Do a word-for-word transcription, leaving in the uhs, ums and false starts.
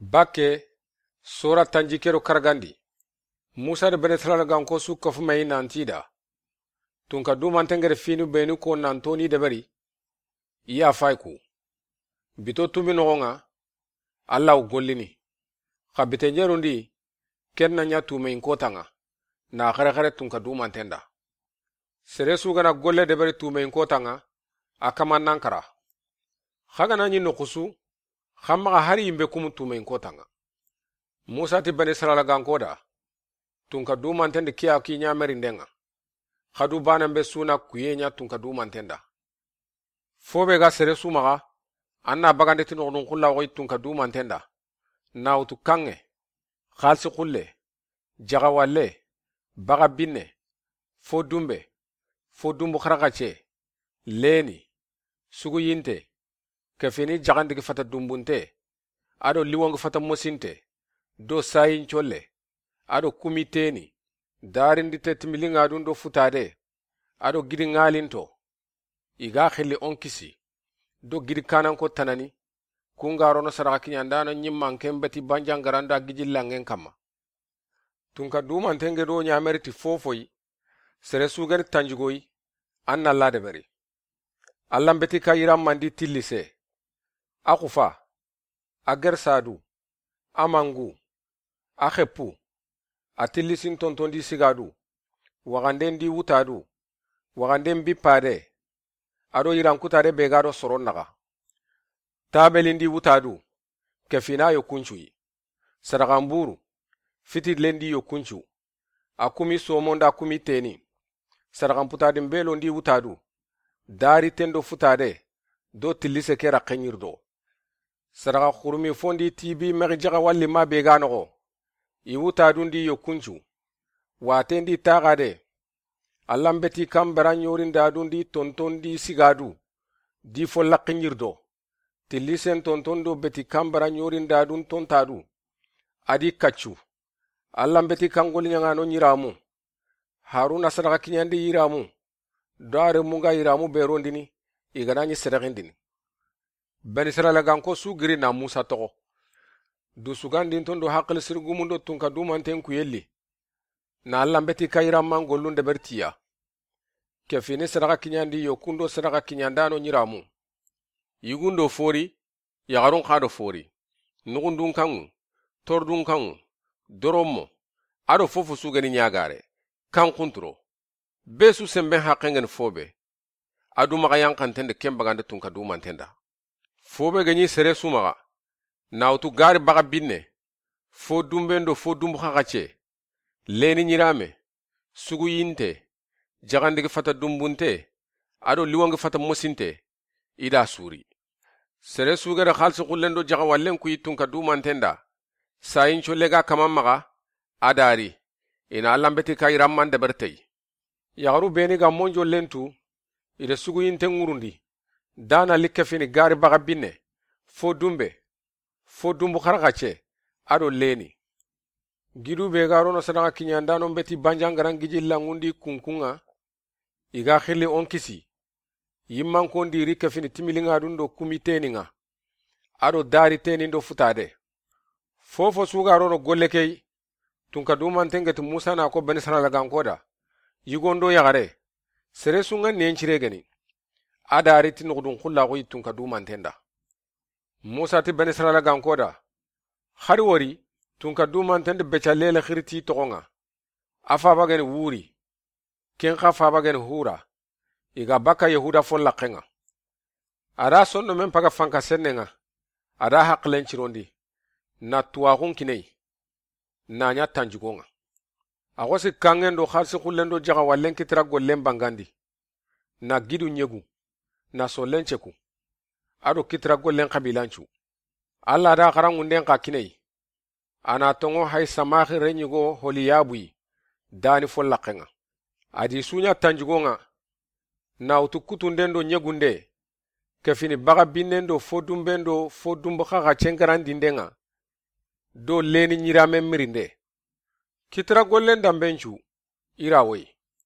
Bakke, sora tanjikke do karagandi. Musa da Bene Israila ganko su kafu mayi nanti da: Tunka dumanten gere finu benu ko nanto ni deberi, i ya fay ku. Bito tumi noxon ŋa, Alla wo gollini. Xa bite ɲerundi, ken na ɲa tumeyin kotan ŋa, na xerexere tunka dumanten da. Sere su ga na golle deberi tumeyin kotan ŋa, a kaman nan kara. Xa ga na ɲi noxu su, xa maxa hari yinbe kumu tumeyin kotan ŋa. Musa ti Bene Israila ganko da: Tunka dumanten di kiya ki ɲamerinden ŋa. Xa du banen be su na kuye ɲa tunka dumanten da. Fo be ga sere su maxa, an na bagande ti noxudun xulla xoyi tunka dumanten da, na wutu kanŋe, xalisi xulle, jaxawalle, baxa binne, fo dunbe, fo dunbu xaraxace, leni, suguyinte, kefini jaxandigi fata dunbunte, a do liwongi fata mosinte, do sayin colle, a do kumi teni, darindi te timiliŋadun do futade, a do gidi ŋalinto. I ga xilli on kisi, do gidi kananko tanani, kun ga rono sadaxa kiɲandano ɲimmanken beti banjangaranda giji lanŋen kamma. Tunka dumanten ge do ɲameri ti fofoyi, sere su geni tanjigoyi, an na la deberi. Allan beti ka yiran mandi tillise, a xufa, a gersadu, a mangu, a xeppu, a tillisin tontondi sigadu, waxanden di wutadu, waxanden bippade, a do yirankutade be ga do soron naxa. Tabelin di wutadu, kefina yo kuncuyi. Sadaxan buru, fitilen di yo kuncu. A kumi somonda kumi teni. Sadaxan putadin belondi wutadu, dari tendo futade, do tillise ke raxen yirdo. Sadaxa xurumi fondi tibi mexi jaxa walli ma be ga noxo. I wutadundi yo kuncu. Watendi taxade. Allan beti kanbara ɲorindadundi tontondi sigadu, di fo laxi ɲirdo. Tillisen tontondo beti kanbara ɲorindadun tontadu. A di kaccu. Allan beti kangoli ɲaŋano ɲiramu. Haruna sadaxa kiɲandi yiramu. Do a remunga yiramu berondini, i ga na ɲi sedexindini. Bene Israila ganko su giri na Musa toxo. Dusugandinton do haxili sirigumundo tunka dumanten kuyelli. Na Allan beti ka yiranman gollun debertiya. Kefini sadaxa kiɲandi yo kundo sadaxa kiɲandano ɲiramu. Yigundo fori, yaxarun xa do fori. Nuxundun kanŋu, tordun kanŋu, doronmo, a do fofo su geni ɲagare, kan xunturo. Be su senben haqqen geni fobe. A du maxa yanxanten de ken bagande tunka dumanten da. Fobe geni sere su maxa. Na wutu gari baxa binne. Fo dunben do fo dunbu xaxace. Leni ɲirame. Suguyinte. Jaxandigi fata dunbunte. A do liwongi fata mosinte. I da suri. Sere su gede xalisi xullen do jaxa wallen kuyi tunka dumanten da. Sayin colle ga kaman maxa. A dari. I na Allan beti ka yiranman debertey. Yaxaru beni ga monjollen tu, i de suguyinten ŋurundi, dana likkefini gari baxa binne, fo dunbe, fo dunbu xaraxace, a do leni. Gidu be ga rono sadaxa kiɲandanon beti banjangaran giji lanŋundi kunkunŋa, i ga xilli on kisi, yimmankon diri kefini timiliŋadun do kumi teniŋa, a do dari tenin do futade. Fofo su ga rono golle key, tunka dumanten geti Musa na ko Bene Israila ganko da. Yigondo yaxare. Sere su ŋa nen cire geni. A dari ti nuxudun xullaxu yi tunka dumanten da. Musa ti Bene Israila ganko da. Xari wori, tunka dumanten di beca lele xiri ti toxoŋa. A faba geni Wuri. Ken xa faba geni Hura. I ga baka Yahuda fo laxeŋa. A da sonno men paga fanka senneŋa. A da haqilen cirondi. Na tuwaxun kiney. Na ɲa tanjugoŋa. A xosi kanŋen do xalisi xullen do jaxa wallen kitira gollen bangandi. Na gidu ɲegu. Na sollen ceku. A do kitira gollen xabilancu. Alla da xaranŋunden xa kiney. A na toŋo hay samaxi reɲigo Holiyabuyi, dani fo laxeŋa. A di suɲa tanjugoŋa, na wutu kutunden do ɲegunde, kefini baxa binnen do fo dunben do fo dunbu xaxa cengarandindenŋa, do leni ɲiramen mirinde. Kitira gollen danbencu, i ra woyi.